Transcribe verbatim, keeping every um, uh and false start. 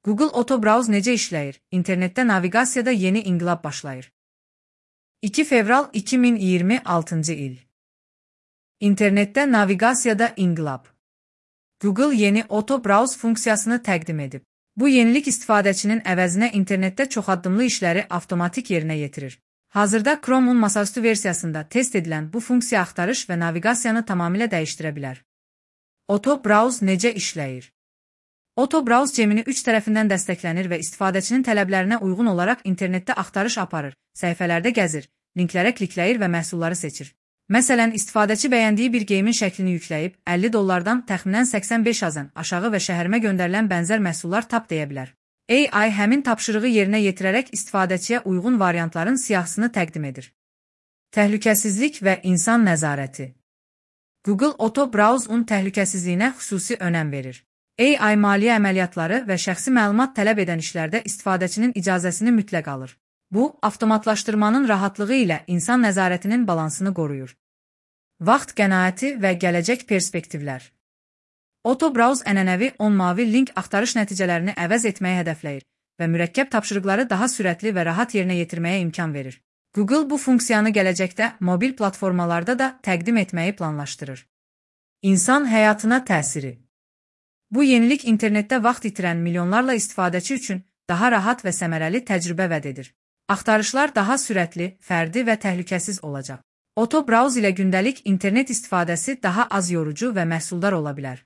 Google Auto Browse necə işləyir? İnternetdə naviqasiyada yeni inqilab başlayır. iki fevral iki min iyirmi altıncı il. İnternetdə naviqasiyada inqilab. Google yeni Auto Browse funksiyasını təqdim edib. Bu yenilik istifadəçinin əvəzinə internetdə çoxaddımlı işləri avtomatik yerinə yetirir. Hazırda Chrome'un masaüstü versiyasında test edilən bu funksiya axtarış və naviqasiyanı tamamilə dəyişdirə bilər. Auto Browse necə işləyir? Auto Browse cemini üç tərəfindən dəstəklənir və istifadəçinin tələblərinə uyğun olaraq internetdə axtarış aparır, səhifələrdə gəzir, linklərə klikləyir və məhsulları seçir. Məsələn, istifadəçi bəyəndiyi bir geyimin şəklini yükləyib, əlli dollardan təxminən səksən beş azən aşağı və şəhərimə göndərilən bənzər məhsullar tap deyə bilər. A I həmin tapşırığı yerinə yetirərək istifadəçiyə uyğun variantların siyahısını təqdim edir. Təhlükəsizlik və insan nəzarəti. Google Auto Browse-un təhlükəsizliyinə xüsusi önəm verir. A I maliyyə əməliyyatları və şəxsi məlumat tələb edən işlərdə istifadəçinin icazəsini mütləq alır. Bu, avtomatlaşdırmanın rahatlığı ilə insan nəzarətinin balansını qoruyur. Vaxt qənaəti və gələcək perspektivlər. Auto Browse ənənəvi on mavi link axtarış nəticələrini əvəz etməyi hədəfləyir və mürəkkəb tapşırıqları daha sürətli və rahat yerinə yetirməyə imkan verir. Google bu funksiyanı gələcəkdə mobil platformalarda da təqdim etməyi planlaşdırır. İnsan həyatına təsiri. Bu yenilik internetdə vaxt itirən milyonlarla istifadəçi üçün daha rahat və səmərəli təcrübə vəd edir. Axtarışlar daha sürətli, fərdi və təhlükəsiz olacaq. Auto Browse ilə gündəlik internet istifadəsi daha az yorucu və məhsuldar ola bilər.